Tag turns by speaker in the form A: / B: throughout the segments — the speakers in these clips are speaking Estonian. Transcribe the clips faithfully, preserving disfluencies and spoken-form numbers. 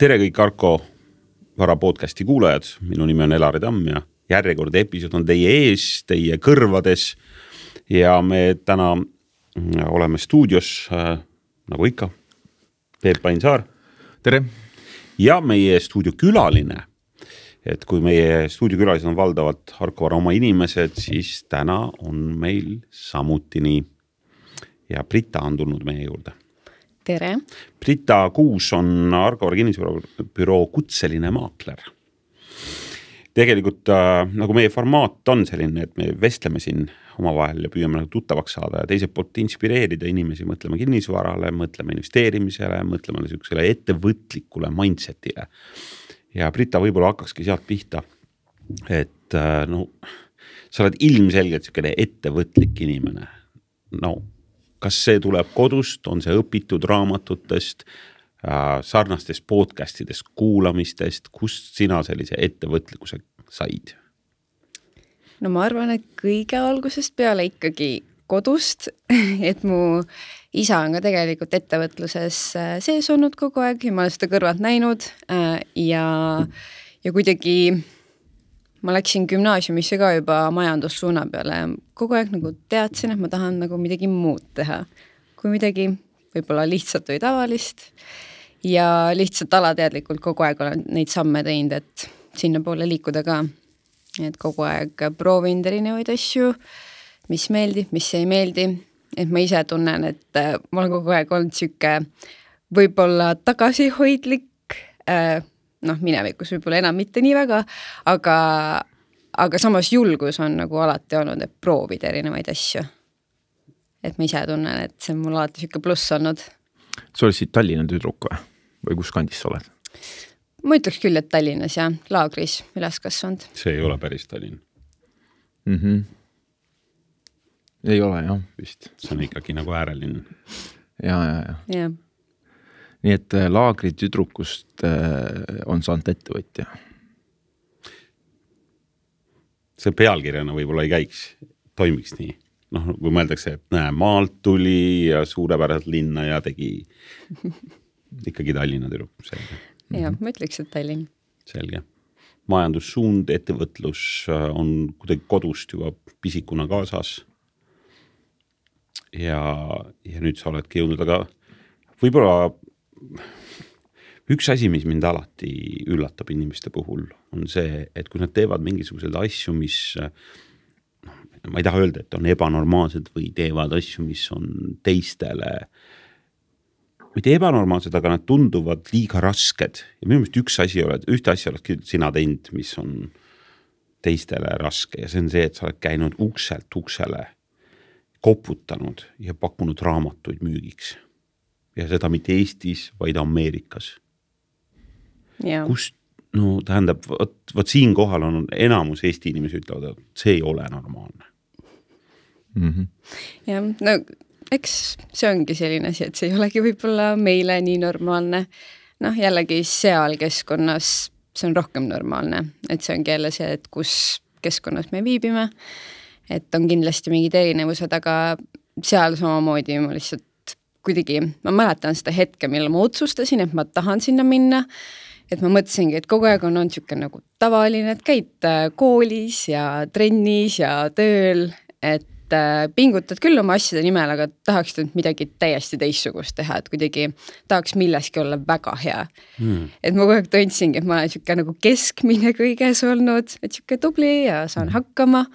A: Tere kõik Arko Vara podcasti kuulajad, minu nimi on Elari Tamm ja järjekord episood on teie ees, teie kõrvades ja me täna oleme stuudios, äh, nagu ikka, Peep Ainsaar.
B: Tere!
A: Ja meie stuudio külaline, et kui meie stuudio külalised on valdavalt Arko Vara oma inimesed, siis täna on meil samuti nii ja Brita on tulnud meie juurde.
C: Tere.
A: Brita Kuus on Arko Vara kinnisvarabüroo kutseline maakler. Tegelikult äh, nagu meie formaat on selline, et me vestleme siin omavahel ja püüame nagu tuttavaks saada ja teiselt poolt inspireerida inimesi, mõtleme kinnisvarale, mõtleme investeerimisele, mõtleme sellisele ettevõtlikule mindsetile. Ja Brita võib-olla hakkakski sealt pihta, et äh, no, sa oled ilmselgelt selline ettevõtlik inimene. No, kas see tuleb kodust, on see õpitud raamatutest, äh, sarnastest podcastidest, kuulamistest, kust sina sellise ettevõtlikkuse said?
C: No ma arvan, et kõige algusest peale ikkagi kodust, et mu isa on ka tegelikult ettevõtluses sees olnud kogu aeg ja ma olen seda kõrvalt näinud äh, ja, ja kuidagi ma läksin gümnaasiumisse ka juba majandussuuna peale ja kogu aeg nagu teadsin, et ma tahan nagu midagi muud teha. Kui midagi võib-olla lihtsalt või tavalist ja lihtsalt alateadlikult kogu aeg olen neid samme teinud, et sinna poole liikuda ka. Et kogu aeg proovin erinevaid asju, mis meeldib, mis ei meeldi. Et ma ise tunnen, et ma olen kogu aeg olnud süke võib-olla tagasihoidlik, äh, noh, minevikus võib-olla enam mitte nii väga, aga, aga samas julgus on nagu alati olnud, et proovida erinevaid asju. Et ma ise tunnen, et see on mul alati süke pluss olnud.
B: Sa oled siit Tallinna tüdruk või? Või kus kandis sa oled?
C: Ma ütleks küll, et Tallinnas ja Laagris üles kasvanud.
A: See ei ole päris Tallinn.
B: Mm-hmm. Ei ole, jah, vist.
A: See on ikkagi nagu äärelinn.
B: Ja, ja, ja.
C: Ja.
B: Nii et Laagri tüdrukust on saanud ettevõtja.
A: See pealkirjana võib-olla ei käiks, toimiks nii. Noh, kui mõeldakse, et näe, maalt tuli ja suurepäraselt linna ja tegi ikkagi Tallinna tüdruk. Selge.
C: Ja, ma ütleks, et Tallinn.
A: Selge. Majandussuund, ettevõtlus on kuidagi kodust juba pisikuna kaasas. Ja, ja nüüd sa oledki jõudnud, aga võib-olla üks asi, mis mind alati üllatab inimeste puhul, on see, et kui nad teevad mingisuguseid asju, mis, no, ma ei taha öelda, et on ebanormaalsed või teevad asju, mis on teistele, mitte ebanormaalsed, aga nad tunduvad liiga rasked. Ja minu meelest üks asi oled, ühte asja oled sina teinud, mis on teistele raske ja see on see, et sa oled käinud ukselt uksele, koputanud ja pakkunud raamatuid müügiks. Ja seda mitte Eestis, vaid Ameerikas.
C: Ja.
A: Kust, no tähendab, võt, võt siin kohal on enamus Eesti inimesi ütlevad, et see ei ole normaalne.
B: Mm-hmm.
C: Ja, no eks see ongi selline asi, et see ei olegi võib-olla meile nii normaalne. Noh, jällegi seal keskkonnas see on rohkem normaalne, et see ongi jälle see, et kus keskkonnas me viibime, et on kindlasti mingid erinevused, aga seal samamoodi ma lihtsalt kuidagi, ma mäletan seda hetke, millal ma otsustasin, et ma tahan sinna minna, et ma mõtlesingi, et kogu aeg on on siuke nagu tavaline, et käid koolis ja trennis ja tööl, et pingutad küll oma asjade nimel, aga tahaks nüüd midagi täiesti teistsugust teha, et kuidagi tahaks milleski olla väga hea. Mm. Et ma kogu aeg tundsingi, et ma olen siuke nagu keskmine kõiges olnud, et siuke tubli ja saan hakkama.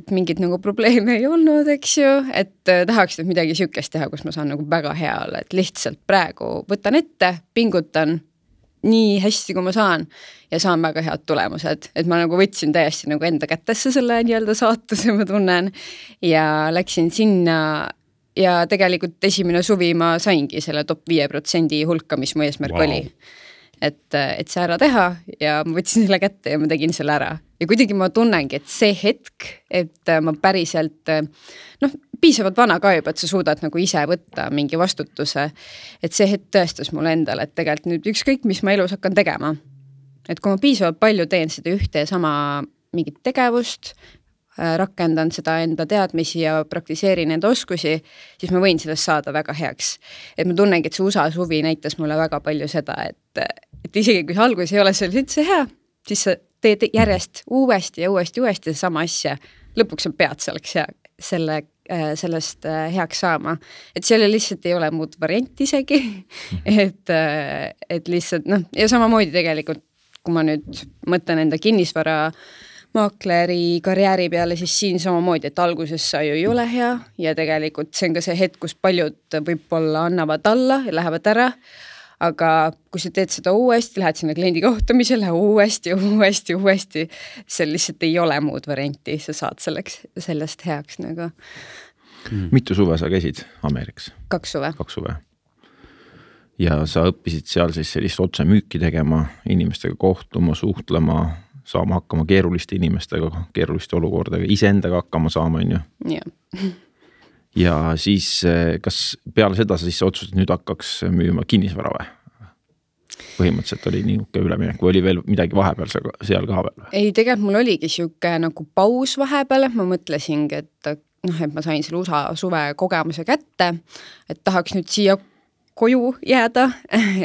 C: Mingit nagu probleeme ei olnud, eks ju, et tahaks nüüd midagi siukest teha, kus ma saan nagu väga hea olla, et lihtsalt praegu võtan ette, pingutan nii hästi, kui ma saan ja saan väga head tulemused, et ma nagu võtsin täiesti nagu enda kätesse selle nii-öelda saatuse, ma tunnen ja läksin sinna ja tegelikult esimene suvi ma saingi selle top viie protsendi hulka, mis mu eesmärk wow. oli. Et, et see ära teha ja ma võtsin selle kätte ja ma tegin selle ära. Ja kuidagi ma tunnengi, et see hetk, et ma päriselt, noh, piisavalt vana ka juba, et sa suudad nagu ise võtta mingi vastutuse, et see hetk tõestas mulle endale, et tegelikult nüüd ükskõik, mis ma elus hakkan tegema. Et kui ma piisavalt palju teen seda ühte ja sama mingit tegevust, rakendan seda enda teadmisi ja praktiseerin enda oskusi, siis ma võin sellest saada väga heaks. Et ma tunnengi, et see U S A suvi näitas mulle väga palju seda, et et, et isegi kui see algus ei ole seal üldse hea, siis sa teed järjest uuesti ja uuesti, uuesti sama asja. Lõpuks sa pead selleks hea, selle, sellest heaks saama. Et selle lihtsalt ei ole muud varianti isegi, et, et lihtsalt, noh, ja samamoodi tegelikult, kui ma nüüd mõtlen enda kinnisvara maakleri karjääri peale, siis siin samamoodi, et alguses sa ju ei ole hea ja tegelikult see on ka see hetk, kus paljud võib-olla annavad alla ja lähevad ära, aga kui sa teed seda uuesti, lähed sinna kliendi kohtumisele uuesti, uuesti, uuesti, seal lihtsalt ei ole muud varianti, sa saad selleks, sellest heaks nagu.
B: Mm. Mitu suve sa käisid Ameerikas?
C: Kaks suve.
B: Kaks suve. Ja sa õppisid seal siis sellist otse müüki tegema, inimestega kohtuma, suhtlema, saama hakkama keeruliste inimestega, keeruliste olukordadega, iseendaga hakkama saama, on ju?
C: Ja.
B: Ja siis, kas peale seda sa siis otsustasid, nüüd hakkaks müüma kinnisvara või? Põhimõtteliselt oli niisugune üleminek, või oli veel midagi vahepeal seal ka veel?
C: Ei, tegelikult mul oligi siuke nagu paus vahepeal, ma mõtlesingi, et, noh, et ma sain selle U S A suve kogemuse kätte, et tahaks nüüd siia koju jääda,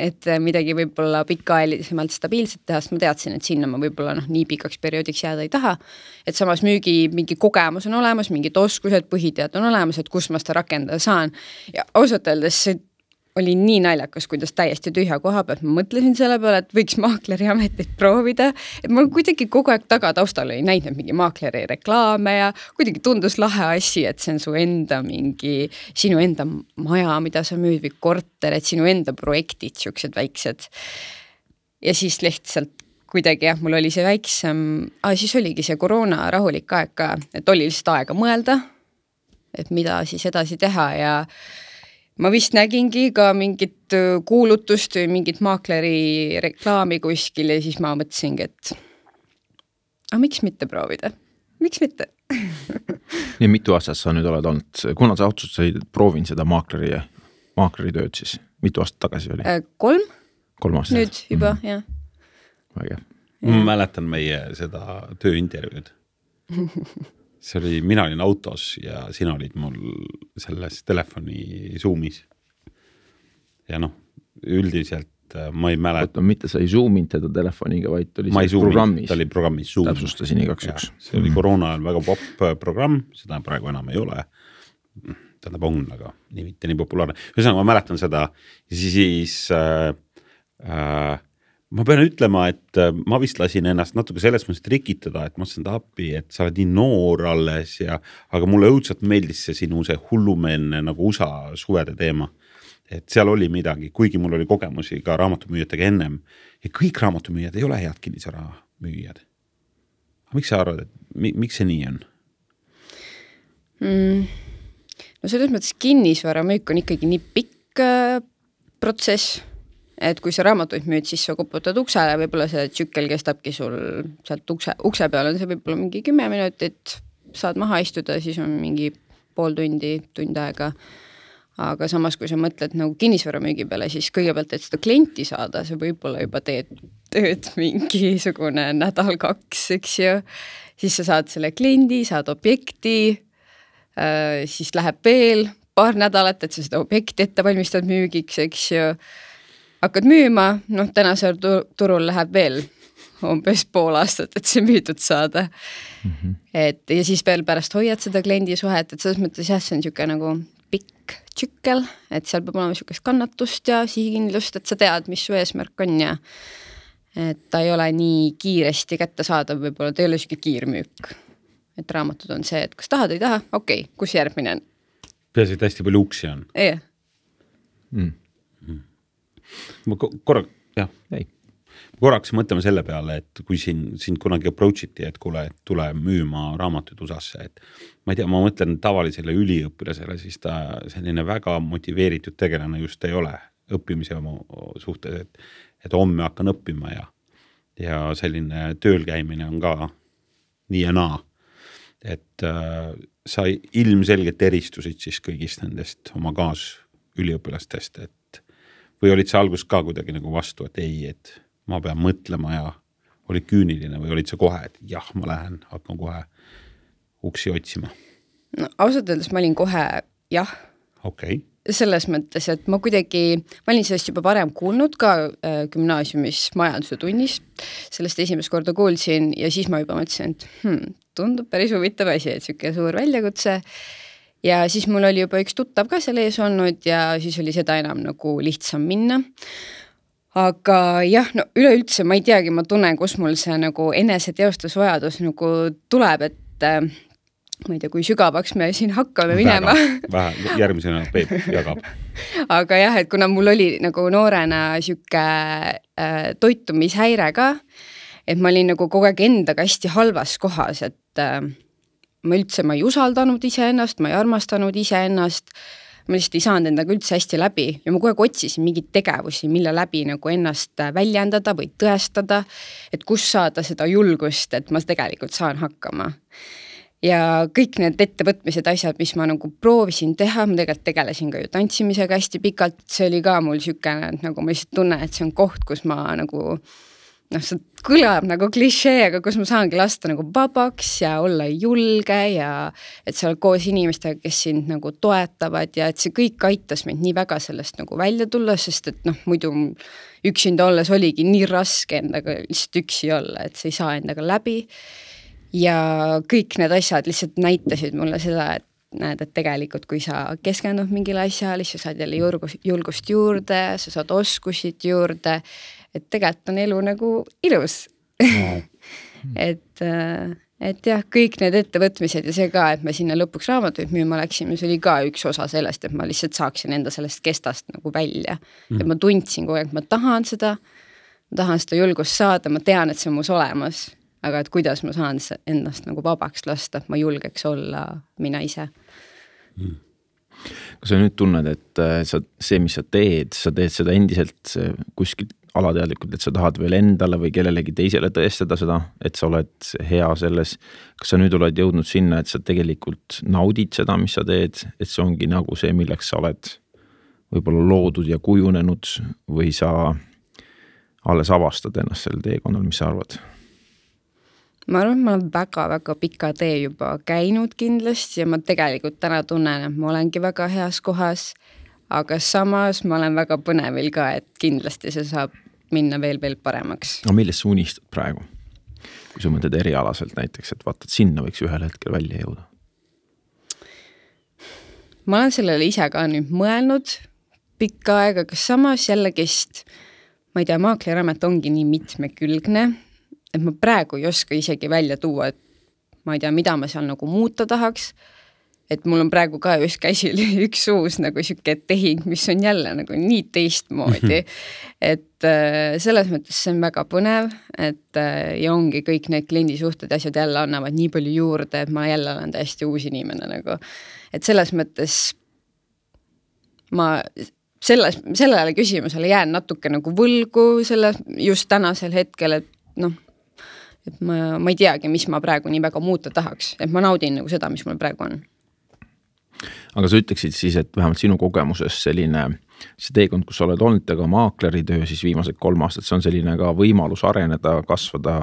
C: et midagi võib-olla pikaajalisemalt stabiilselt teha, sest ma teadsin, et sinna ma võib-olla noh, nii pikaks perioodiks jääda ei taha, et samas müügi mingi kogemus on olemas, mingid oskused, põhitead on olemas, et kus ma seda rakendada saan ja ausalt öeldes see oli nii naljakas, kuidas täiesti tühja koha pealt ma mõtlesin selle peale, et võiks maakleri ametit proovida, et ma kuidagi kogu aeg taga taustal ei näinud mingi maakleri reklaame ja kuidagi tundus lahe asi, et see on su enda mingi, sinu enda maja, mida sa müüd või korter, et sinu enda projektid, siuksed väiksed. Ja siis lihtsalt kuidagi jah, mul oli see väiksem, ah, siis oligi see koroona rahulik aeg ka, et oli lihtsalt aega mõelda, et mida siis edasi teha ja ma vist nägingi ka mingit kuulutust või mingit maakleri reklaami kuskil ja siis ma mõtlesingi, et aga miks mitte proovida? Miks mitte?
B: Nii mitu aastat sa nüüd oled olnud, kuna sa otsustasid proovin seda maakleri, maakleri tööd siis, mitu aastat tagasi oli?
C: Kolm.
B: Kolm aastat.
C: Nüüd juba, mm. jah.
B: Väga.
A: Ma mäletan meie seda tööintervjuud. See oli, mina olin autos ja sina olid mul selles telefoni Zoomis. Ja noh, üldiselt ma ei mäleta.
B: Oota, mitte sa ei zoominud teda telefoniga, vaid oli
A: ma
B: see programmis.
A: Ta oli programmis Zoom.
B: Täpsustasin igaks üks.
A: See oli koroona ajal väga pop programm, seda praegu enam ei ole. Tähendab on, aga nii mitte nii populaarne. Ühesõnaga, ma mäletan seda ja siis äh, äh, ma pean ütlema, et ma vist lasin ennast natuke selles mõttes trikitada, et ma mõtlesin ta appi, et sa oled nii noor alles ja, aga mulle õudselt meeldis see sinu see hullumeelne nagu U S A suvede teema. Et seal oli midagi, kuigi mul oli kogemusi ka raamatumüüjatega ennem ja kõik raamatumüüjad ei ole head kinnisvara müüjad. Miks sa arvad, et mi, miks see nii on?
C: Mm. No selles mõttes kinnisvara müük on ikkagi nii pikk äh, protsess, et kui sa raamatuid müüd, siis sa koputad uksele, võib-olla see tsükkel kestabki sul sealt ukse, ukse peal on see võib-olla mingi kümme minutit, saad maha istuda, siis on mingi pool tundi, tund aega. Aga samas, kui sa mõtled nagu kinnisvara müügi peale, siis kõigepealt, et seda klienti saada, sa võib-olla juba teed tööd mingisugune nädal kaks, eks ju. Siis sa saad selle kliendi, saad objekti, äh, siis läheb veel paar nädalat, et sa seda objekti ette valmistad müügiks, eks ju. Hakkad müüma, noh, tänasel turul läheb veel umbes pool aastat, et see müüdud saada. Mm-hmm. Et, ja siis veel pärast hoiad seda kliendi suhet, et selles mõttes jah, see on niisugune nagu pikk tsükkel, et seal peab olema niisugust kannatust ja sihikindlust, et sa tead, mis su eesmärk on ja et ta ei ole nii kiiresti kätte saada, võib-olla ta ei ole niisugune kiirmüük. Et raamatud on see, et kas tahad, ei taha, okei, okay, kus järgmine on?
A: Peas, et hästi palju uksi on.
C: Ei.
A: Mm. Ma korraks, jah, ei. korraks mõtleme selle peale, et kui siin, siin kunagi approachiti, et kuule, et tule müüma raamatuid U S A-sse, et ma ei tea, ma mõtlen tavalisele üliõpilasele, siis ta selline väga motiveeritud tegelane just ei ole õppimise suhtes, et, et homme hakkan õppima ja, ja selline tööl käimine on ka nii ja naa, et äh, sa ilmselgelt eristusid siis kõigist nendest oma kaas üliõpilastest, et või olid see algus ka kuidagi nagu vastu, et ei, et ma pean mõtlema ja olid küüniline või olid see kohe, et jah, ma lähen, hakkan kohe uksi otsima?
C: No ausalt öeldes ma olin kohe jah.
A: Okay.
C: selles mõttes, et ma kuidagi, ma olin sellest juba varem kuulnud ka äh, gümnaasiumis majanduse tunnis, sellest esimest korda kuulsin ja siis ma juba mõtlesin, et hmm, tundub päris huvitav asi, et siuke suur väljakutse. Ja siis mul oli juba üks tuttav ka seal ees olnud ja siis oli seda enam nagu lihtsam minna. Aga jah, no üleüldse ma ei teagi, ma tunnen, kus mul see nagu eneseteostusvajadus nagu tuleb, et äh, ma ei tea, kui sügavaks me siin hakkame minema.
A: Vähe, järgmisena Peep jagab.
C: Aga jah, et kuna mul oli nagu noorena siuke äh, toitumishäire ka, et ma olin nagu kogu aeg endaga hästi halvas kohas, et äh, ma üldse ma ei usaldanud iseennast, ma ei armastanud iseennast, ma lihtsalt ei saanud endaga üldse hästi läbi ja ma kogu aeg otsisin mingeid tegevusi, mille läbi nagu ennast väljendada või tõestada, et kus saada seda julgust, et ma tegelikult saan hakkama. Ja kõik need ettevõtmised asjad, mis ma nagu proovisin teha, ma tegelikult tegelesin ka ju tantsimisega hästi pikalt, see oli ka mul sükene, et nagu ma lihtsalt tunnen, et see on koht, kus ma nagu, noh, see kõlab nagu klišee, aga kus ma saangi lasta nagu vabaks ja olla julge ja et sa oled koos inimestega, kes sind nagu toetavad ja et see kõik aitas mind nii väga sellest nagu välja tulla, sest et noh, muidu üksinda olles oligi nii raske endaga lihtsalt üksi olla, et sa ei saa endaga läbi. Ja kõik need asjad lihtsalt näitasid mulle seda, et näed, et tegelikult kui sa keskendunud mingile asjale, siis sa saad jälle julgust, julgust juurde, sa saad oskusid juurde, et tegelikult on elu nagu ilus. No. et, et jah, kõik need ettevõtmised ja see ka, et me sinna lõpuks raamatuid müüma läksime, see oli ka üks osa sellest, et ma lihtsalt saaksin enda sellest kestast nagu välja. Mm. Et ma tundsin kogu aeg, et ma tahan seda, ma tahan seda julgust saada, ma tean, et see on mus olemas. Aga et kuidas ma saan ennast nagu vabaks lasta, et ma julgeks olla mina ise.
B: Mm. Kas sa nüüd tunned, et sa, see, mis sa teed, sa teed seda endiselt kuskil alateadlikult, et sa tahad veel endale või kellelegi teisele tõestada seda, et sa oled hea selles. Kas sa nüüd oled jõudnud sinna, et sa tegelikult naudid seda, mis sa teed, et see ongi nagu see, milleks sa oled võib-olla loodud ja kujunenud või sa alles avastad ennast selle teekonnal, mis sa arvad?
C: Ma arvan, et ma olen väga-väga pika tee juba käinud kindlasti ja ma tegelikult täna tunnen, et ma olengi väga heas kohas, aga samas ma olen väga põnevil ka, et kindlasti see saab minna veel veel paremaks.
B: No millest sa unistad praegu? Kui sa mõtled erialaselt näiteks, et vaatad, sinna võiks ühel hetkel välja jõuda.
C: Ma olen sellele ise ka nüüd mõelnud pikka aega, kas samas jällegist, ma ei tea, maakleramet ongi nii mitmekülgne, et ma praegu ei oska isegi välja tuua, et ma ei tea, mida ma seal nagu muuta tahaks, et mul on praegu ka just käsil üks uus nagu siuke tehing, mis on jälle nagu nii teistmoodi, et selles mõttes see on väga põnev, et ja ongi kõik need kliendisuhted ja asjad jälle annavad nii palju juurde, et ma jälle olen täiesti uus inimene nagu, et selles mõttes ma selles, sellele küsimusele jään natuke nagu võlgu selle just tänasel hetkel, et noh, et ma, ma ei teagi, mis ma praegu nii väga muuta tahaks, et ma naudin nagu seda, mis mul praegu on.
B: Aga sa ütleksid siis, et vähemalt sinu kogemuses selline, see teekond, kus sa oled olnud, aga maakleritöö siis viimased kolm aastat, see on selline ka võimalus areneda, kasvada,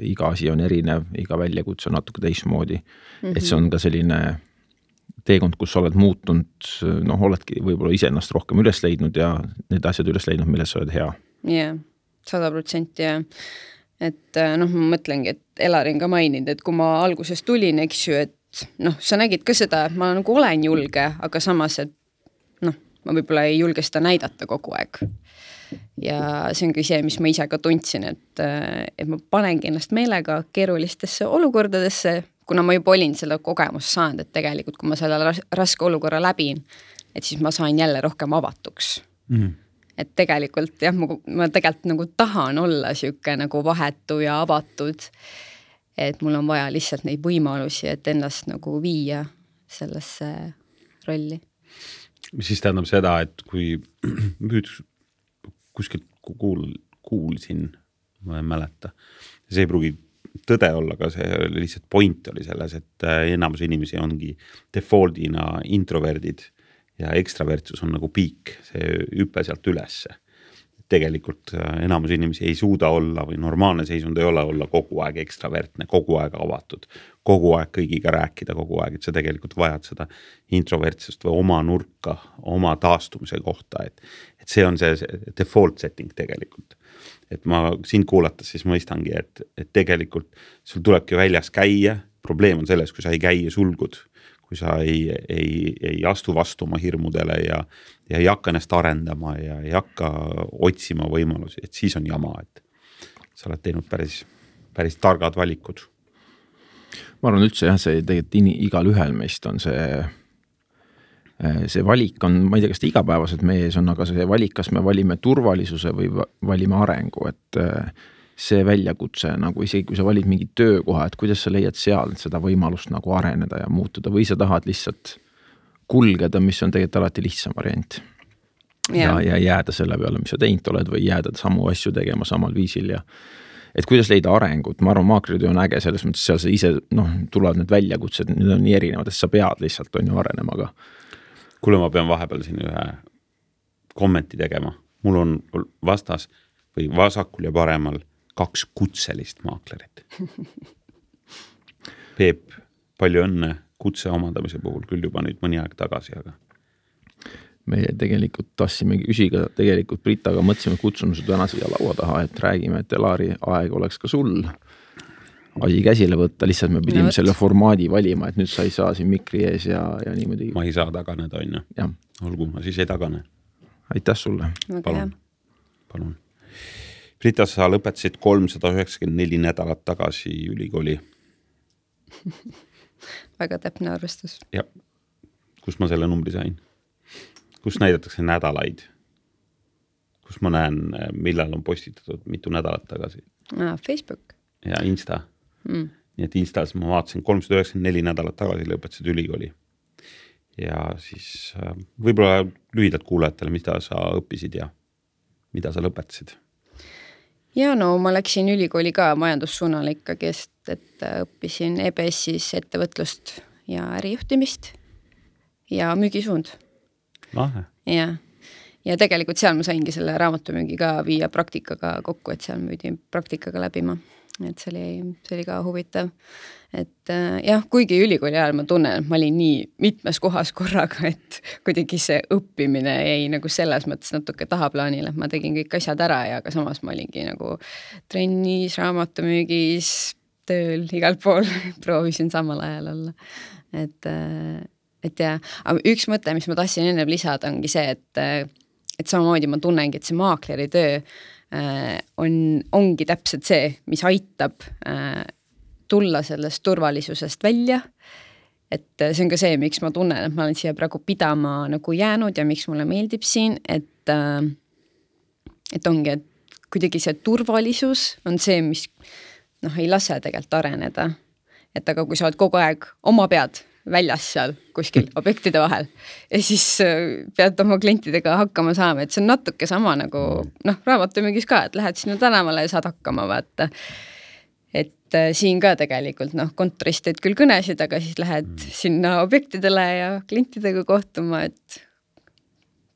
B: iga asi on erinev, iga väljakutse on natuke teistmoodi, mm-hmm. et see on ka selline teekond, kus sa oled muutunud, noh, oledki võib-olla iseennast rohkem üles leidnud ja need asjad üles leidnud, milles sa oled hea.
C: Jah, sada protsenti ja et noh, ma mõtlengi, et Elarin ka maininud, et kui ma alguses tulin, eks ju, et noh, sa nägid ka seda, et ma nagu olen julge, aga samas, et noh, ma võib-olla ei julge seda näidata kogu aeg. Ja see ongi see, mis ma ise ka tundsin, et, et ma panengi ennast meelega keerulistesse olukordadesse, kuna ma juba olin selle kogemust saanud, et tegelikult kui ma selle raske olukorra läbin, et siis ma sain jälle rohkem avatuks. Mm. Et tegelikult jah, ma, ma tegelikult nagu tahan olla siuke nagu vahetu ja avatud, et mul on vaja lihtsalt neid võimalusi, et ennast nagu viia sellesse rolli.
A: Mis siis tähendab seda, et kui kuskilt kuul, kuulsin, ma ei mäleta, see ei pruugi tõde olla, aga see lihtsalt point oli selles, et enamus inimesi ongi defaultina introverdid ja ekstravertsus on nagu piik, see hüpe sealt ülesse. tegelikult enamus inimesi ei suuda olla või normaalne seisund ei ole olla kogu aeg ekstravertne, kogu aeg avatud, kogu aeg kõigiga rääkida kogu aeg, et sa tegelikult vajad seda introvertsust või oma nurka, oma taastumise kohta, et, et see on see, see default setting tegelikult. Et ma sind kuulates siis mõistangi, et, et tegelikult sul tulebki väljas käia, probleem on selles, kui sa ei käi ja sulgud, kui sa ei, ei, ei astu vastu oma hirmudele ja, ja ei hakka ennast arendama ja ei hakka otsima võimalusi, et siis on jama, et sa oled teinud päris, päris targad valikud.
B: Ma arvan üldse jah, see tegelikult igal ühel meist on see, see valik on, ma ei tea, kas ta igapäevaselt meie ees on, aga see valik, kas me valime turvalisuse või valime arengu, et see väljakutse, nagu isegi kui sa valid mingi töökoha, et kuidas sa leiad seal seda võimalust nagu areneda ja muutuda või sa tahad lihtsalt kulgeda, mis on tegelikult alati lihtsam variant. Ja, ja jääda selle peale, mis sa teinud oled või jääda samu asju tegema samal viisil ja et kuidas leida arengut, ma arvan, maakleritöö on äge selles mõttes, seal sa ise, noh, tulevad need väljakutsed, need on nii erinevad, et sa pead lihtsalt on ju arenema, aga
A: kuule, ma pean vahepeal siin ühe kommenti tegema, mul on vastas või vasakul ja paremal kaks kutselist maaklerit. Peep, palju õnne kutse omandamise puhul, küll juba nüüd mõni aeg tagasi, aga
B: me tegelikult tassimegi küsiga, tegelikult Britaga mõtlesime kutsunud täna siia laua taha, et räägime, et Elari aeg oleks ka sul asi käsile võtta, lihtsalt me pidime no, selle formaadi valima, et nüüd sa ei saa siin mikri ees ja, ja niimoodi.
A: Ma ei saa taganeda, on ju. Olgu, ma siis ei tagane.
B: Aitäh sulle.
A: Palun. Palun. Brita, sa lõpetasid kolmsada üheksakümmend neli nädalat tagasi ülikooli.
C: Väga täpne arvestus.
A: Ja, kus ma selle numbri sain? Kus näidatakse nädalaid? Kus ma näen, millal on postitatud mitu nädalat tagasi?
C: Ah, Facebook.
A: Ja Insta.
C: Mm.
A: Nii et Instas ma vaatasin kolmsada üheksakümmend neli nädalat tagasi lõpetasid ülikooli. Ja siis võib-olla lühidalt kuulajatele, mida sa õppisid ja mida sa lõpetasid?
C: Ja no ma läksin ülikooli ka majandussuunal ikkagi, et õppisin E B S-is ettevõtlust ja ärijuhtimist ja müügisuund.
A: Lahe.
C: Ja, ja tegelikult seal ma saingi selle raamatumüügi ka viia praktikaga kokku, et seal müüdi praktikaga läbima. Et see oli, see oli ka huvitav. Et jah, kuigi ülikooli ajal ma tunnen, et ma olin nii mitmes kohas korraga, et kuidagi see õppimine jäi nagu selles mõttes natuke tahaplaanile, et ma tegin kõik asjad ära ja aga samas ma olingi nagu trennis, raamatumüügis, tööl, igal pool proovisin samal ajal olla. Et, et jah, aga üks mõte, mis ma tahtsin enne lisada, ongi see, et, et samamoodi ma tunnengi, et see maakleri töö on, ongi täpselt see, mis aitab tulla sellest turvalisusest välja, et see on ka see, miks ma tunnen, et ma olen siia praegu pidama nagu jäänud ja miks mulle meeldib siin, et, et ongi, et kuidagi see turvalisus on see, mis noh, ei lase tegelikult areneda, et aga kui sa oled kogu aeg oma pead väljas seal kuskil objektide vahel ja siis pead oma klientidega hakkama saama, et see on natuke sama nagu noh, raamatumüügis ka, et lähed sinna tänavale ja saad hakkama vaata. Et siin ka tegelikult noh, kontorist teed küll kõnesid, aga siis lähed mm. sinna objektidele ja klientidega kohtuma, et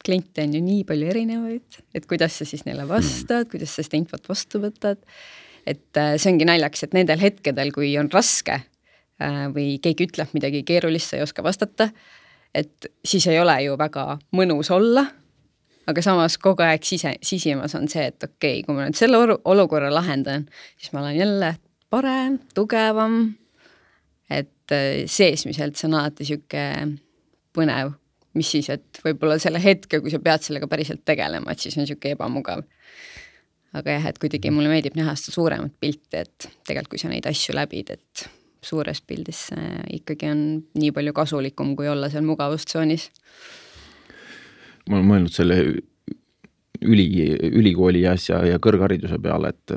C: kliente on ju nii palju erinevaid, et kuidas sa siis neile vastad, mm. kuidas sa seda infot vastu võtad. Et see ongi naljaks, et nendel hetkedel, kui on raske või keegi ütleb midagi keerulist, sa ei oska vastata, et siis ei ole ju väga mõnus olla, aga samas kogu aeg sise, sisimas on see, et okei, kui ma nüüd selle olukorra lahendan, siis ma olen jälle parem, tugevam, et seesmiselt see on alati siuke põnev, mis siis, et võib-olla selle hetke, kui sa pead sellega päriselt tegelema, et siis on siuke ebamugav. Aga jah, et kuidagi mulle meeldib näha seda suuremat pilti, et tegelikult kui sa neid asju läbid, et suures pildis ikkagi on nii palju kasulikum, kui olla seal mugavustsoonis.
B: Ma olen mõelnud selle üli, ülikooli asja ja kõrghariduse peale, et,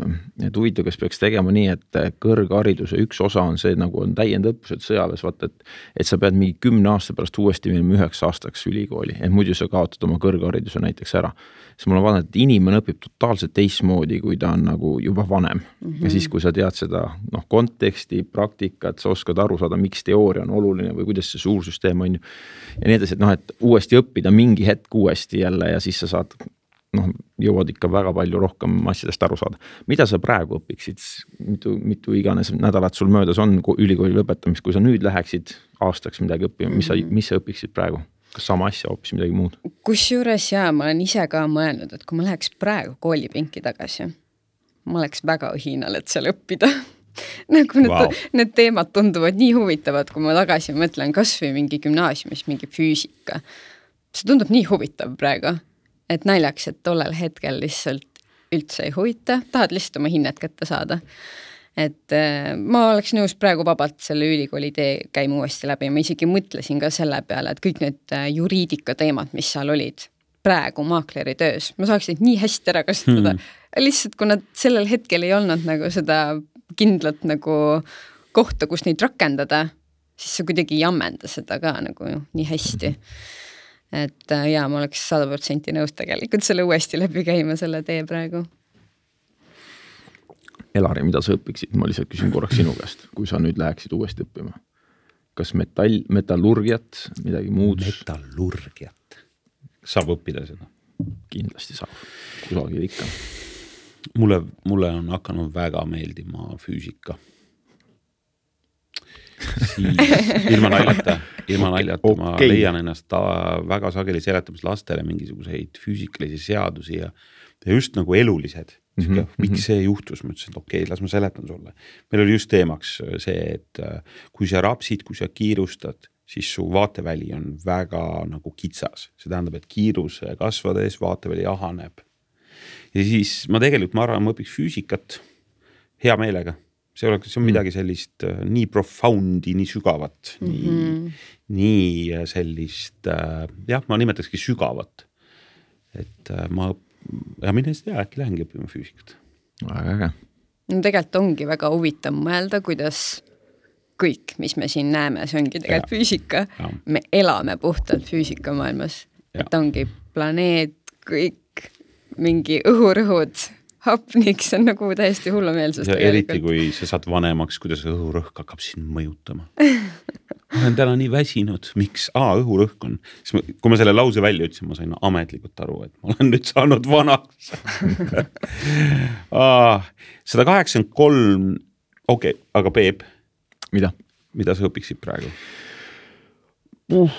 B: et huvitav, kes peaks tegema nii, et kõrghariduse üks osa on see, nagu on täiendõppused sõjaväes, vaata, et, et sa pead mingi kümne aasta pärast uuesti minema üheks aastaks ülikooli, et muidu sa kaotad oma kõrghariduse näiteks ära. Siis mul on vaadanud, et inimene õpib totaalselt teistmoodi, kui ta on nagu juba vanem. Mm-hmm. Ja siis, kui sa tead seda noh, konteksti, praktikat, sa oskad aru saada, miks teooria on oluline või kuidas see suursüsteem on. Ja nii edasi, et noh, et uuesti õppida mingi hetk uuesti jälle ja siis sa saad noh, jõuad ikka väga palju rohkem asjadest aru saada. Mida sa praegu õpiksid, mitu, mitu iganes nädalat sul möödas on ülikooli lõpetamist, kui sa nüüd läheksid aastaks midagi õppima, mis sa, mis sa õpiksid praegu? Kas sama asja, hoopis midagi muud?
C: Kusjuures jaa, ma olen ise ka mõelnud, et kui ma läheks praegu koolipinki tagasi, ma oleks väga õhinal, et seal õppida. nagu need, wow. need teemad tunduvad nii huvitavad, kui ma tagasi mõtlen kas või mingi gümnaasiumis, mingi füüsika. See tundub nii huvitav praegu. Et naljaks, et tollel hetkel lihtsalt üldse ei huvita, tahad lihtsalt oma hinnet kätte saada. Et äh, ma oleks nõus praegu vabalt selle ülikooli tee käima uuesti läbi. Ma isegi mõtlesin ka selle peale, et kõik need juriidika teemad, mis seal olid praegu maakleri töös, ma saaks neid nii hästi ära kasutada. Hmm. Lihtsalt, kui nad sellel hetkel ei olnud nagu seda kindlat nagu kohta, kus neid rakendada, siis sa kuidagi ei ammenda seda ka nagu nii hästi. Et jaa, ma oleks sada protsenti nõus tegelikult selle uuesti läbi käima selle tee praegu.
B: Elari, mida sa õpiksid? Ma lihtsalt küsin korraks sinu käest, kui sa nüüd läheksid uuesti õppima. Kas metall, metallurgiat, midagi muud?
A: Metallurgiat. Saab õppida seda?
B: Kindlasti saab. Kusagil ikka.
A: Mulle, mulle on hakanud väga meeldima füüsika. Siis, ilma naljata, ilma naljata okay. Ma leian ennast ta väga sageli seletamas lastele mingisuguseid füüsikalisi seadusi ja, ja just nagu elulised. Mm -hmm. Miks see juhtus? Ma ütlesin, et okei, las ma seletan sulle. Meil oli just teemaks see, et kui sa rapsid, kui sa kiirustad, siis su vaateväli on väga nagu kitsas. See tähendab, et kiiruse kasvades vaateväli ahaneb. Ja siis ma tegelikult, ma arvan, ma õpiks füüsikat hea meelega. See, oleks, see on midagi sellist äh, nii profoundi, nii sügavat, mm -hmm. nii, nii sellist, äh, jah, ma nimetakski sügavat. Et äh, ma, ja mine seda äkki lähengi õppima füüsikat.
B: Väga äge.
C: No tegelikult ongi väga huvitav mõelda, kuidas kõik, mis me siin näeme, see ongi tegelikult ja. Füüsika. Ja. Me elame puhtalt füüsika maailmas. Ja. Et ongi planeet, kõik, mingi õhurõhud, hapnik, see on nagu täiesti hullumeelsus.
A: Ja eriti, kui sa saad vanemaks, kuidas õhurõhk hakkab sind mõjutama. Ma olen täna nii väsinud. Miks? Aa, õhurõhk on. Kui ma selle lause välja ütlesin, ma sain ametlikult aru, et ma olen nüüd saanud vanaks. sada kaheksakümmend kolm, okei, okay, aga Peep.
B: Mida?
A: Mida sa õpiksid praegu?
B: Uh,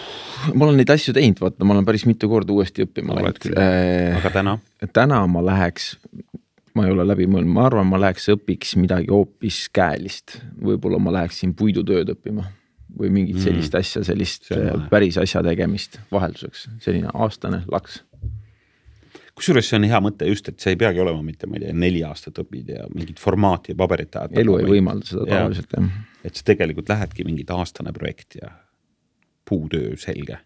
B: ma olen neid asju teinud, vaata, ma olen päris mitu korda uuesti õppima.
A: Äh, aga täna?
B: Täna ma läheks, ma ei ole läbi mõelnud, ma arvan, ma läheks õpiks midagi hoopis käelist. Võib-olla ma läheksin puidutööd õppima või mingit sellist mm. asja, sellist päris asja tegemist vahelduseks. Selline aastane laks.
A: Kusjuures see on hea mõte just, et see ei peagi olema mitte, ma ei tea, neli aastat õpid ja mingid formaati ja paberit ajad.
B: Elu ei võimalda seda tavaliselt, jah.
A: Et see tegelikult lähedki mingid aastane projekt ja puutöö selge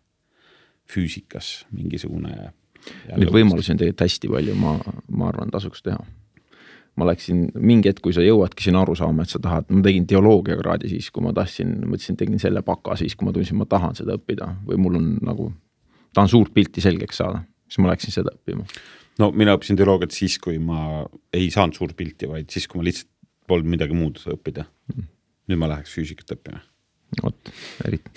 A: füüsikas mingisugune.
B: Neid võimalusi on tegelikult hästi palju, ma, ma arvan, tasuks teha. Ma läksin mingi hetk, kui sa jõuadki siin aru saama, et sa tahad, ma tegin teoloogia kraadi siis, kui ma tahtsin, mõtlesin, tegin selle paka siis, kui ma tundsin, ma tahan seda õppida või mul on nagu, tahan suurt pilti selgeks saada, siis ma läksin seda õppima.
A: No mina õppisin teoloogiat siis, kui ma ei saanud suurt pilti, vaid siis, kui ma lihtsalt polnud midagi muud õppida. Mm. Nüüd ma läheks füüsikat õppima.
B: Oot, eriti.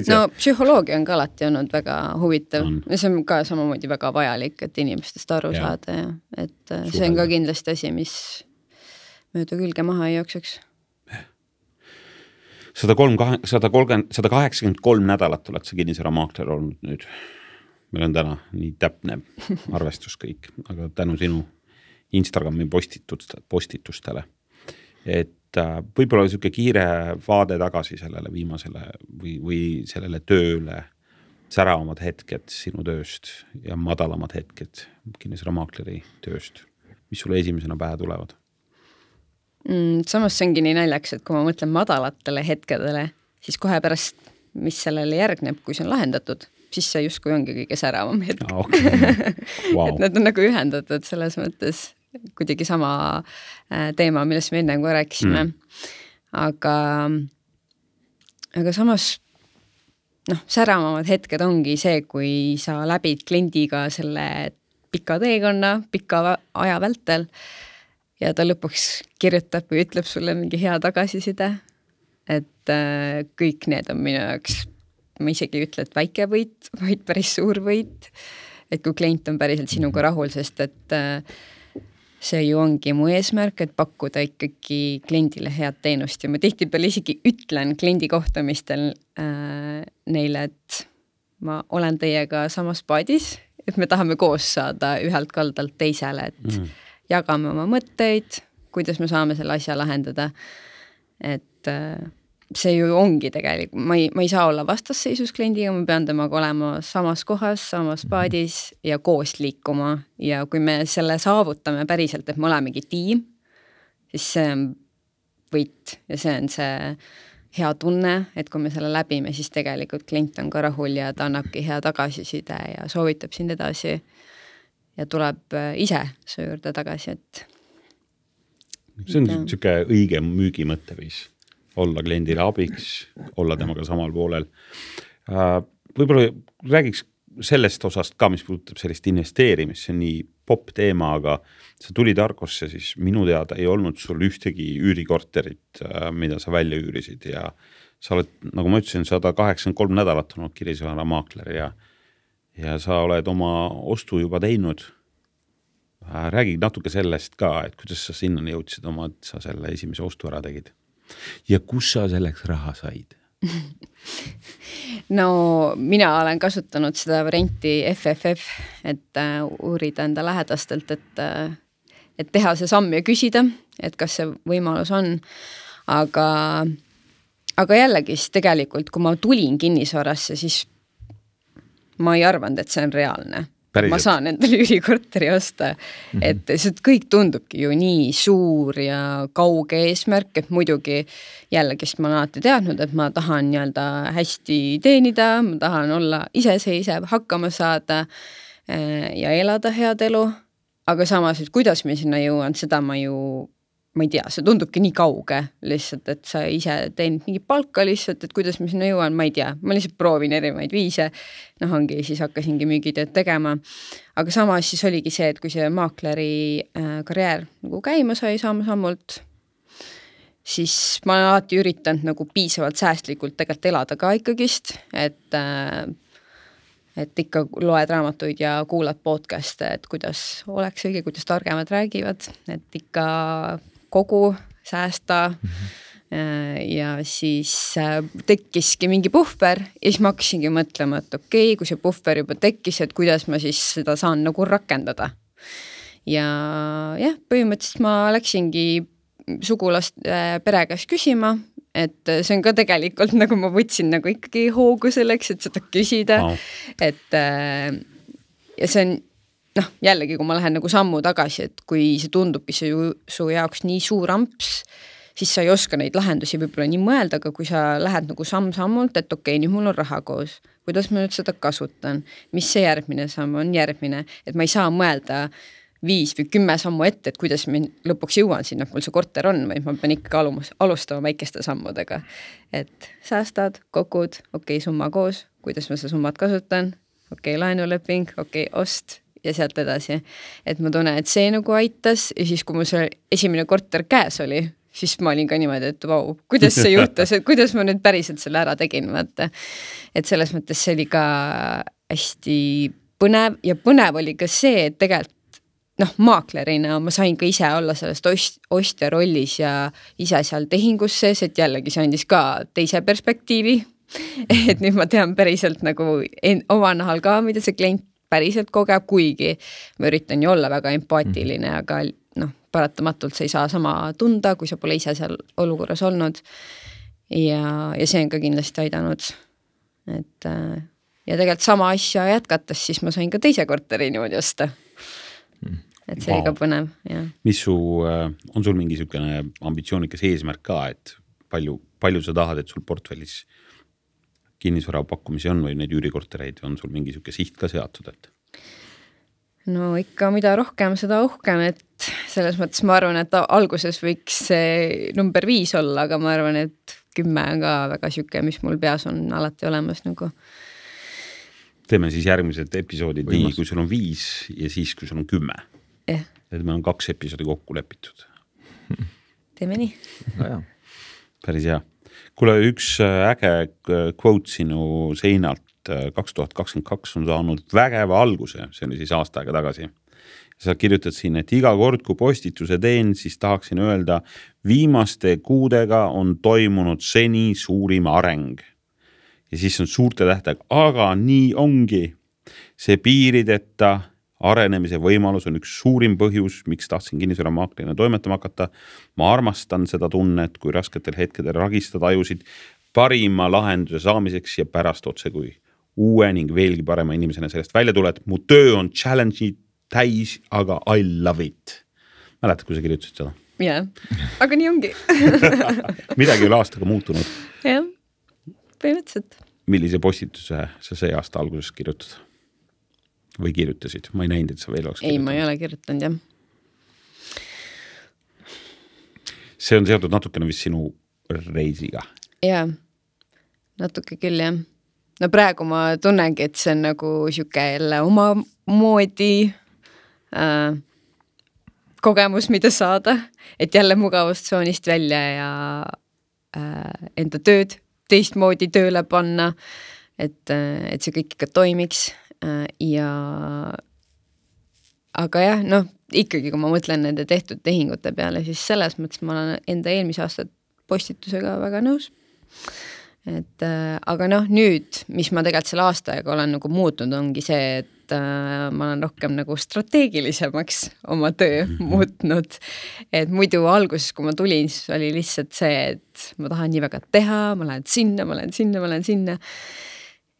C: No psühholoogia on ka alati olnud väga huvitav. Ja see on ka samamoodi väga vajalik, et inimestest aru ja. Saada. Ja. Et Suhel. See on ka kindlasti asi, mis mööda külge maha ei jookseks.
A: sada kaheksakümmend kolm nädalat oled sa kinnisvara maakler olnud nüüd. Meil on täna nii täpne arvestus kõik, aga tänu sinu Instagrami postitustele. Et võib-olla selline kiire vaade tagasi sellele viimasele või, või sellele tööle säravamad hetked sinu tööst ja madalamad hetked kinnisvara maakleri tööst. Mis sulle esimesena pähe tulevad?
C: Mm, samas see ongi nii naljaks, et kui ma mõtlen madalatele hetkedele, siis kohe pärast, mis sellele järgneb, kui see on lahendatud, siis see justkui ongi kõige säravam hetk. Ah, okay. Wow. Et need on nagu ühendatud selles mõttes kuidagi sama teema, millest me enne kui rääkisime. Mm. Aga, aga samas noh, säravamad hetked ongi see, kui sa läbid kliendiga selle pika teekonna, pika aja vältel ja ta lõpuks kirjutab või ütleb sulle mingi hea tagasiside. Et äh, kõik need on minu jaoks, ma isegi ei ütle, et väike võit, vaid päris suur võit. et kui klient on päriselt sinuga rahul, sest et see ju ongi mu eesmärk, et pakkuda ikkagi kliendile head teenust ja ma tihtipeale isegi ütlen kliendi kohtumistel äh, neile, et ma olen teiega samas paadis, et me tahame koos saada ühelt kaldalt teisele, et mm. jagame oma mõtteid, kuidas me saame selle asja lahendada. Et äh, see ju ongi tegelikult, ma ei, ma ei saa olla vastasseisus kliendiga, ma pean temaga olema samas kohas, samas paadis ja koos liikuma ja kui me selle saavutame päriselt, et me olemegi tiim, siis see on võit ja see on see hea tunne, et kui me selle läbime, siis tegelikult klient on ka rahul ja ta annabki hea tagasiside ja soovitab sind edasi ja tuleb ise su juurde tagasi, et
A: see on niisugune õige müügimõtteviis. Olla kliendile abiks, olla temaga samal poolel. Võib-olla räägiks sellest osast ka, mis puudutab sellist investeerimist, see on nii pop teema, aga sa tulid Argosse, siis minu teada ei olnud sul ühtegi üürikorterit, mida sa välja üürisid ja sa oled, nagu ma ütlesin, sada kaheksakümmend kolm nädalat olnud Kirisvara maakler ja, ja sa oled oma ostu juba teinud. Räägi natuke sellest ka, et kuidas sa sinna jõudsid oma, et sa selle esimese ostu ära tegid. Ja kus sa selleks raha said?
C: No mina olen kasutanud seda varianti F F F, et uh, uurida enda lähedastelt, et, uh, et teha see samm ja küsida, et kas see võimalus on. Aga, aga jällegi tegelikult, kui ma tulin kinnisvarasse, siis ma ei arvanud, et see on reaalne. Päriselt. Ma saan endale üürikorteri osta, mm-hmm. et see kõik tundubki ju nii suur ja kauge eesmärk, et muidugi jällegist ma olen alati teadnud, et ma tahan nii-öelda hästi teenida, ma tahan olla iseseisev, hakkama saada ja elada head elu, aga samas, et kuidas me sinna jõuan, seda ma ju ma ei tea, see tundubki nii kauge lihtsalt, et sa ise teenid mingi palka lihtsalt, et kuidas ma sinna jõuan, ma ei tea, ma lihtsalt proovin erinevaid viise, noh ongi, siis hakkasingi müügitööd tegema, aga samas siis oligi see, et kui see maakleri äh, karjäär nagu käima sai samm-sammult, siis ma olen alati üritanud nagu piisavalt säästlikult tegelikult elada ka ikkagist, et äh, et ikka loed raamatuid ja kuulad podcast'e, et kuidas oleks õige, kuidas targemad räägivad, et ikka kogu säästa mm-hmm. ja siis tekkiski mingi puhver ja siis ma hakkasingi mõtlema, et okei, okay, kui see puhver juba tekkis, et kuidas ma siis seda saan nagu rakendada. Ja jah, põhimõtteliselt ma läksingi sugulast pere käest küsima, et see on ka tegelikult, nagu ma võtsin nagu ikkagi hoogu selleks, et seda küsida, wow. et ja see on, noh, jällegi, kui ma lähen nagu sammu tagasi, et kui see tundubki see ju, su jaoks nii suur amps, siis sa ei oska neid lahendusi võib-olla nii mõelda, aga kui sa lähed nagu samm-sammult, et okei, nüüd mul on raha koos, kuidas ma nüüd seda kasutan, mis see järgmine samm on järgmine, et ma ei saa mõelda viis või kümme sammu ette, et kuidas ma lõpuks jõuan sinna, et mul see korter on, või ma pean ikka alustama väikeste sammudega. Et säästad, kokud, okei, summa koos, kuidas ma seda summat kasutan, okei, laenuleping, okei, ost ja sealt edasi. Et ma tunnen, et see nagu aitas ja siis, kui mul see esimene korter käes oli, siis ma olin ka niimoodi, et vau, kuidas see juhtus, et kuidas ma nüüd päriselt selle ära tegin, vaata. Et selles mõttes see oli ka hästi põnev ja põnev oli ka see, et tegelikult noh, maaklerina ma sain ka ise olla sellest ost, ostja rollis ja ise seal tehingus sees, et jällegi see andis ka teise perspektiivi, et nüüd ma tean päriselt nagu en, oma nahal ka, mida see klient päriselt kogeb, kuigi ma üritan ju olla väga empaatiline, aga noh, paratamatult sa ei saa sama tunda, kui sa pole ise seal olukorras olnud ja, ja see on ka kindlasti aidanud, et ja tegelikult sama asja jätkates, siis ma sain ka teise korteri niimoodi osta. Et see wow. oli ka põnev, jah.
A: Mis su, on sul mingi sükene ambitsioonikas eesmärk ka, et palju, palju sa tahad, et sul portfellis kinnisvara pakkumisi on või neid üürikortereid, on sul mingi süke siht ka seatud, et?
C: No ikka mida rohkem, seda uhkem, et selles mõttes ma arvan, et alguses võiks see number viis olla, aga ma arvan, et kümme on ka väga süke, mis mul peas on alati olemas nagu.
A: Teeme siis järgmised episoodid Võimas. Nii, kui sul on viis ja siis, kui sul on kümme.
C: Eh.
A: Et meil on kaks episoodi kokku lepitud.
C: Teeme nii.
A: Päris hea. Kuule, üks äge quote sinu seinalt kaks tuhat kakskümmend kaks on saanud vägeva alguse, see oli siis aasta aega tagasi. Sa kirjutad siin, et iga kord, kui postituse teen, siis tahaksin öelda, viimaste kuudega on toimunud seni suurim areng. Ja siis on suurte tähtega, aga nii ongi. See piirideta arenemise võimalus on üks suurim põhjus, miks tahtsin kinnisvaramaaklerina toimetama hakata. Ma armastan seda tunnet, kui rasketel hetkedel ragistada ajusid parima lahenduse saamiseks ja pärast otse kui uue ning veelgi parema inimesena sellest välja tuled. Mu töö on challenge'i täis, aga I love it. Mäletad, kui sa kirjutasid seda?
C: Jah, aga nii ongi.
A: Midagi oli aastaga muutunud.
C: Jah, põhimõtteliselt.
A: Millise postituse sa see aasta alguses kirjutad? Või kirjutasid? Ma ei näinud, et sa veel oleks kirjutanud.
C: Ei, ma ei ole kirjutanud, jah.
A: See on seotud natukene vist sinu reisiga.
C: Jaa, natuke küll, jah. No praegu ma tunnengi, et see on nagu siuke jälle oma moodi äh, kogemus, mida saada, et jälle mugavustsoonist välja ja äh, enda tööd teistmoodi tööle panna, et, et see kõik ikka toimiks äh, ja aga jah, noh, ikkagi kui ma mõtlen nende tehtud tehingute peale, siis selles mõttes ma olen enda eelmise aasta postitusega väga nõus. Et äh, aga noh, nüüd, mis ma tegelikult selle aastaega olen nagu muutnud, ongi see, et äh, ma olen rohkem nagu strateegilisemaks oma töö mm-hmm. muutnud. Et muidu alguses, kui ma tulin, siis oli lihtsalt see, et ma tahan nii väga teha, ma lähen sinna, ma lähen sinna, ma lähen sinna.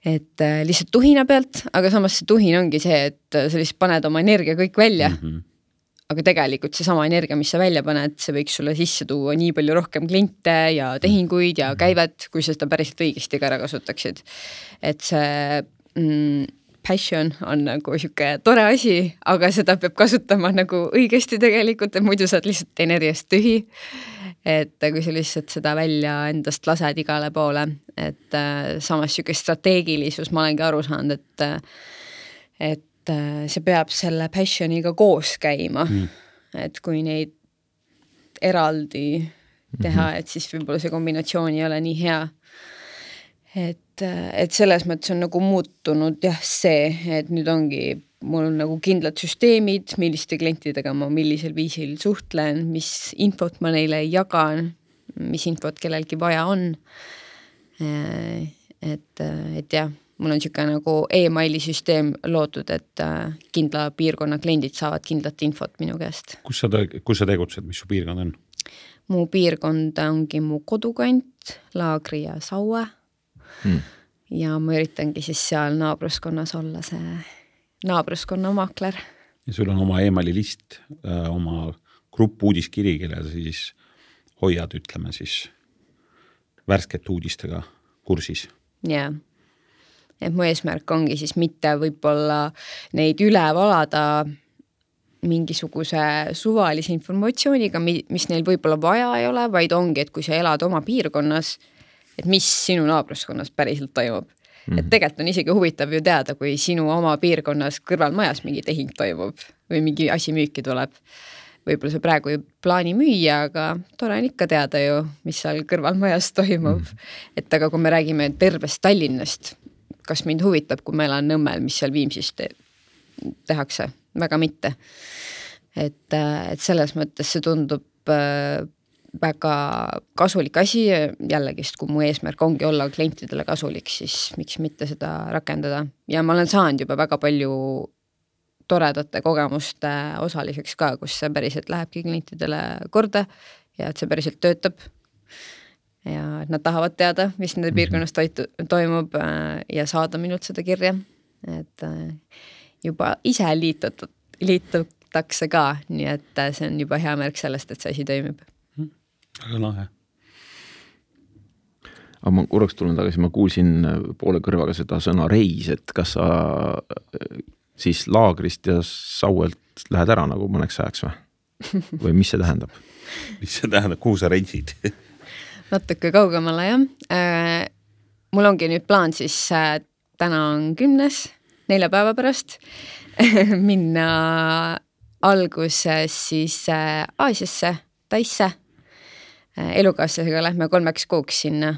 C: Et äh, lihtsalt tuhina pealt, aga samas see tuhin ongi see, et sa lihtsalt paned oma energia kõik välja. Mm-hmm. Aga tegelikult see sama energia, mis sa välja paned, see võiks sulle sisse tuua nii palju rohkem kliente ja tehinguid ja käivet, kui sa seda päriselt õigesti ka ära kasutaksid. Et see mm, passion on nagu siuke tore asi, aga seda peab kasutama nagu õigesti tegelikult, et muidu saad lihtsalt energiast tühi. Et kui sa lihtsalt seda välja endast lased igale poole, et äh, samas siuke strateegilisus ma olengi aru saanud, et et see peab selle passioniga koos käima, mm. et kui neid eraldi teha, et siis võib-olla see kombinatsioon ei ole nii hea. Et, et selles mõttes on nagu muutunud jah see, et nüüd ongi, mul on nagu kindlad süsteemid, milliste klientidega ma millisel viisil suhtlen, mis infot ma neile jagan, mis infot kellelgi vaja on. Et, et jah, mul on siuke nagu e-maili süsteem loodud, et kindla piirkonna kliendid saavad kindlat infot minu käest.
A: Kus sa, kus sa tegutsed, mis su piirkond on?
C: Mu piirkond ongi mu kodukant, Laagri ja Saue. Hmm. Ja ma üritangi siis seal naabruskonnas olla see naabruskonna maakler.
A: Ja sul on oma e-maili list, oma grupp uudiskiri, kelle siis hoiad, ütleme siis, värsket uudistega kursis.
C: Jaa. Et mu eesmärk ongi siis mitte võib-olla neid üle valada mingisuguse suvalise informatsiooniga, mis neil võib-olla vaja ei ole, vaid ongi, et kui sa elad oma piirkonnas, et mis sinu naabruskonnas päriselt toimub. Mm-hmm. Et tegelikult on isegi huvitav ju teada, kui sinu oma piirkonnas kõrvalmajas mingi tehing toimub või mingi asi müüki tuleb. Võib-olla sa praegu ei plaani müüa, aga tore on ikka teada ju, mis seal kõrvalmajas toimub. Mm-hmm. Et aga kui me räägime tervest Tallinnast, kas mind huvitab, kui meil on Nõmmel, mis seal Viimsis te- tehakse? Väga mitte. Et, et selles mõttes see tundub äh, väga kasulik asi, jällegi, kui mu eesmärk ongi olla klientidele kasulik, siis miks mitte seda rakendada. Ja ma olen saanud juba väga palju toredate kogemuste osaliseks ka, kus see päriselt lähebki klientidele korda ja et see päriselt töötab. Ja nad tahavad teada, mis nende piirkonnas toitu, toimub ja saada minult seda kirja. Et juba ise liitut, liitutakse ka, nii et see on juba hea märk sellest, et see asi toimib.
A: Väga lahe.
B: Aga ma korraks tulen tagasi, ma kuulsin poole kõrvaga seda sõna reis, et kas sa siis Laagrist ja Sauelt lähed ära nagu mõneks ajaks või? Või mis see tähendab?
A: Mis see tähendab, kuhu sa reisid?
C: Natuke kaugemale, jah. Äh, mul ongi nüüd plaan siis äh, täna on kümnes, nelja päeva pärast minna alguses siis äh, Aasiasse, Taisse. Äh, elukaaslasega lähme kolmeks kuuks sinna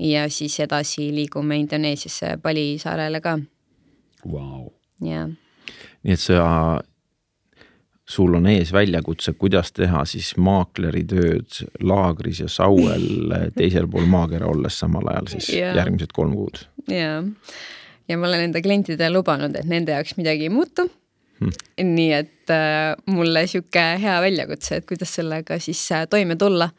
C: ja siis edasi liigume Indoneesiasse Bali saarele ka.
A: Wow.
C: Ja.
B: Nii et sa, sul on ees väljakutse, kuidas teha siis maakleri tööd laagris ja sauel teisel pool maakera olles samal ajal siis ja. järgmised kolm kuud.
C: Ja. ja ma olen enda klientidele lubanud, et nende jaoks midagi ei muutu. Hmm. Nii et äh, mulle siuke hea väljakutse, et kuidas sellega siis äh, toime tulla.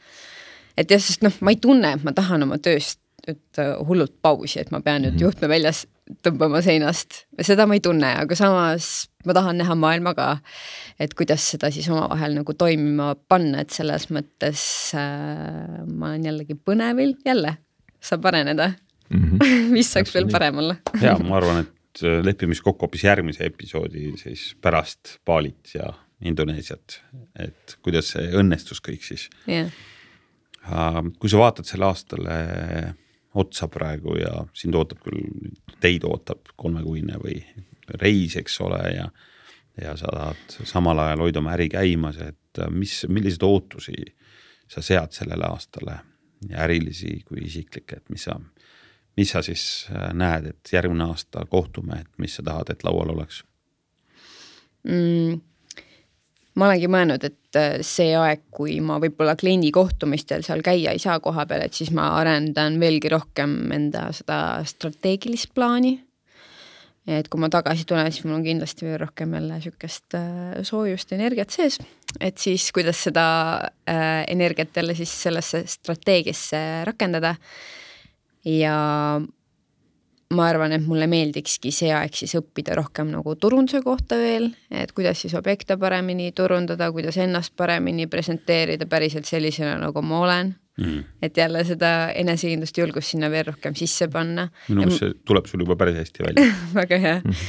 C: Et jah, sest noh, ma ei tunne, et ma tahan oma tööst et hullult pausi, et ma pean nüüd mm-hmm. juhtme väljas tõmbama seinast. Seda ma ei tunne, aga samas ma tahan näha maailma ka, et kuidas seda siis omavahel nagu toimima panna, et selles mõttes äh, ma olen jällegi põnevil, jälle saab areneda. Mm-hmm. Mis saaks veel parem olla?
A: Ja, ma arvan, et lepimiskokku hoopis järgmise episoodi siis pärast Balit ja Indoneesiat, et kuidas see õnnestus kõik siis.
C: Yeah.
A: Kui sa vaatad selle aastale otsa praegu ja sind ootab küll, teid ootab kolmekuine või reis, eks ole, ja, ja sa tahad samal ajal hoida oma äri käimas, et mis, millised ootusi sa sead sellele aastale ja ärilisi kui isiklikke, et mis sa, mis sa siis näed, et järgmine aasta kohtume, et mis sa tahad, et laual oleks?
C: Mm. Ma olengi mõelnud, et see aeg, kui ma võib-olla kliendi kohtumistel seal käia ei saa koha peal, et siis ma arendan veelgi rohkem enda seda strateegilist plaani. Et kui ma tagasi tulen, siis mul on kindlasti veel rohkem jälle sükest soojust energiat sees, et siis kuidas seda energiat jälle siis sellesse strateegiasse rakendada. Ja ma arvan, et mulle meeldikski see aeg siis õppida rohkem nagu turunduse kohta veel, et kuidas siis objekte paremini turundada, kuidas ennast paremini presenteerida päriselt sellisena, nagu ma olen. Mm. Et jälle seda enesekindlust julgust sinna veel rohkem sisse panna.
A: Minu ja see tuleb sul juba päris hästi välja.
C: Väga hea. Mm.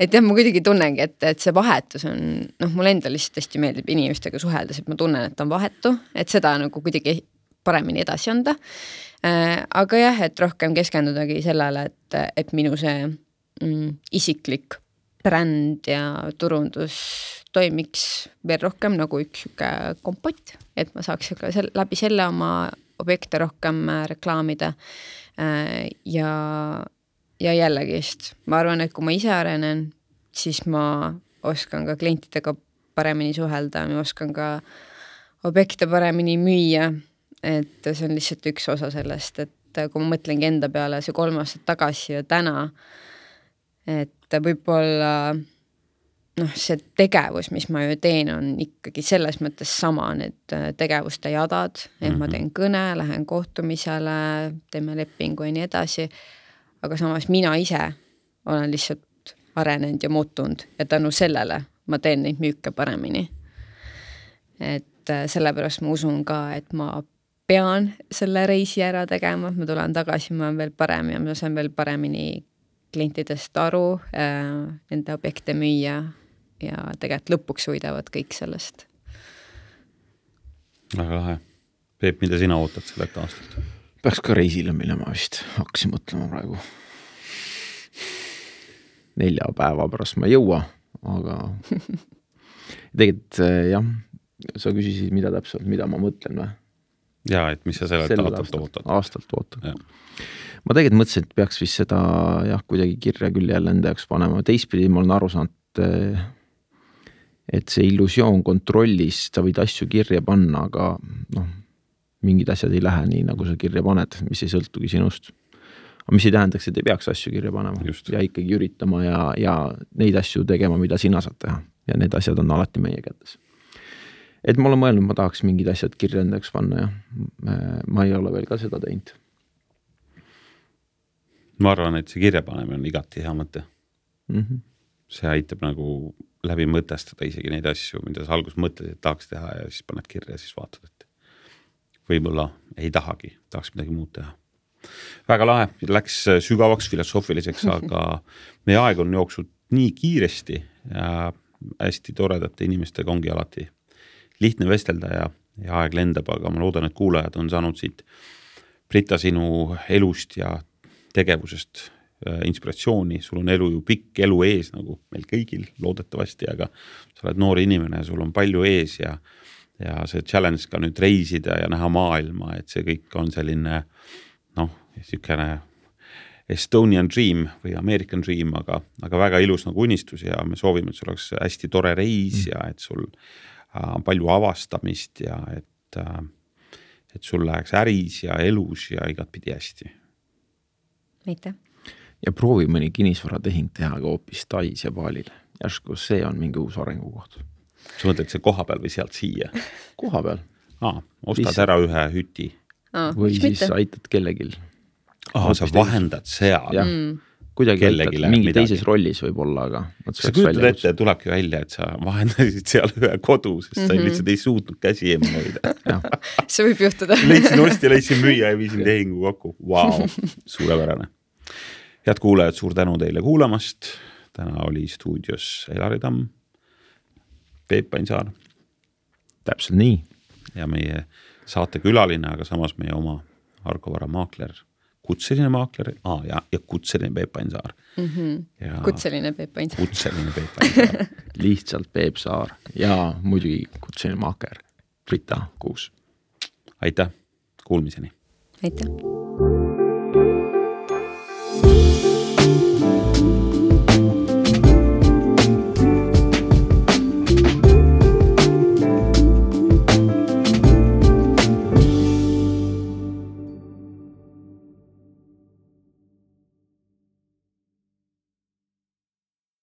C: Et jah, ma kuidagi tunnengi, et, et see vahetus on, noh, mul enda lihtsalt hästi meeldib inimestega suheldes, et ma tunnen, et on vahetu, et seda nagu kuidagi paremini edasi anda. Aga jah, et rohkem keskendudagi sellele, et, et minu see mm, isiklik bränd ja turundus toimiks veel rohkem nagu üks kompott, et ma saaks ka sel, läbi selle oma objekte rohkem reklaamida ja, ja jällegist. Ma arvan, et kui ma ise arenen, siis ma oskan ka klientidega paremini suhelda, ma oskan ka objekte paremini müüa. Et see on lihtsalt üks osa sellest, et kui ma mõtlengi enda peale see kolm aastat tagasi ja täna, et võib-olla noh, see tegevus, mis ma ju teen, on ikkagi selles mõttes sama, need tegevuste jadad, et mm-hmm. ma teen kõne, lähen kohtumisele, teeme lepingu ja nii edasi, aga samas mina ise olen lihtsalt arenenud ja muutunud ja tänu sellele ma teen neid müüke paremini. Et sellepärast ma usun ka, et ma pean selle reisi ära tegema, ma tulen tagasi, ma olen veel parem ja ma saan veel paremini klientidest aru, äh, nende objekte müüa ja tegelikult lõpuks võidavad kõik sellest.
A: Väga lahe. Peep, mida sina ootad sellelt aastalt?
B: Peaks ka reisile minema vist, hakkasin mõtlema praegu. Nelja päeva pärast ma ei jõua, aga tegelikult jah, sa küsisid, mida täpselt, mida ma mõtlen või?
A: Ja, et mis sa sellelt aastalt ootad?
B: Aastalt ootad. Ma tegelikult mõtlesin, et peaks vist seda jah, kuidagi kirja küll jälle enda jaoks panema. Teispidi ma olen aru saanud, et see illusioon kontrollis, sa võid asju kirja panna, aga noh, mingid asjad ei lähe nii, nagu sa kirja paned, mis ei sõltugi sinust. Aga mis ei tähendaks, et ei peaks asju kirja panema. Just. Ja ikkagi üritama ja, ja neid asju tegema, mida sina saad teha. Ja need asjad on alati meie kätes. Et ma olen mõelnud, ma tahaks mingid asjad kirja endaks panna ja ma ei ole veel ka seda teinud.
A: Ma arvan, et see kirja panemine on igati hea mõte. Mm-hmm. See aitab nagu läbi mõtestada isegi neid asju, mida sa algus mõtled, et tahaks teha ja siis paned kirja ja siis vaatad, et võib-olla ei tahagi, tahaks midagi muud teha. Väga lahe, läks sügavaks filosoofiliseks, aga meie aeg on jooksnud nii kiiresti ja hästi toredate inimestega ongi alati lihtne vestelda ja, ja aeg lendab, aga ma loodan, et kuulajad on saanud siit Brita sinu elust ja tegevusest äh, inspiratsiooni. Sul on elu ju pikk elu ees, nagu meil kõigil loodetavasti, aga sa oled noor inimene ja sul on palju ees ja, ja see challenge ka nüüd reisida ja näha maailma, et see kõik on selline noh, niisugune Estonian dream või American dream, aga, aga väga ilus nagu unistus ja me soovime, et sul oleks hästi tore reis mm. ja et sul äh, palju avastamist ja et, äh, et sul läheks äris ja elus ja igatpidi hästi.
C: Aitäh!
B: Ja proovi mõni kinnisvaratehing teha ka hoopis Tais ja Baalil. Järsku see on mingi uus arengukoht.
A: Sa mõtled see koha peal või sealt siia?
B: Koha peal.
A: Aa, ostad Lihtsalt. ära ühe hüti.
C: Aa,
B: või siis mitte? Aitad kellegil.
A: Aa, sa vahendad seal.
B: Mm. Kuidagi aitad mingi midagi. Teises rollis võib-olla, aga
A: sa kujutad ette, tulebki välja, et sa vahendasid seal ühe kodu, sest mm-hmm. sa lihtsalt ei suutnud käsi eemale hoida.
C: See võib juhtuda.
A: Leidsin osti, leidsin müüa ja viisin tehingu kokku. Vau, wow, suurepärane. Head kuulajad, suur tänu teile kuulamast. Täna oli stuudios Elari Tamm, Peep Painsaar.
B: Täpselt nii.
A: Ja meie saate külaline, aga samas meie oma Argo Vara maakler, kutseline maakler aa, ja, ja kutseline Peep Painsaar.
C: Mm-hmm. Ja kutseline Peep Painsaar.
A: Kutseline Peep Painsaar.
B: Lihtsalt Peep Saar ja muidugi kutseline maaker Brita Kuus.
A: Aitäh, kuulmiseni.
C: Aitäh.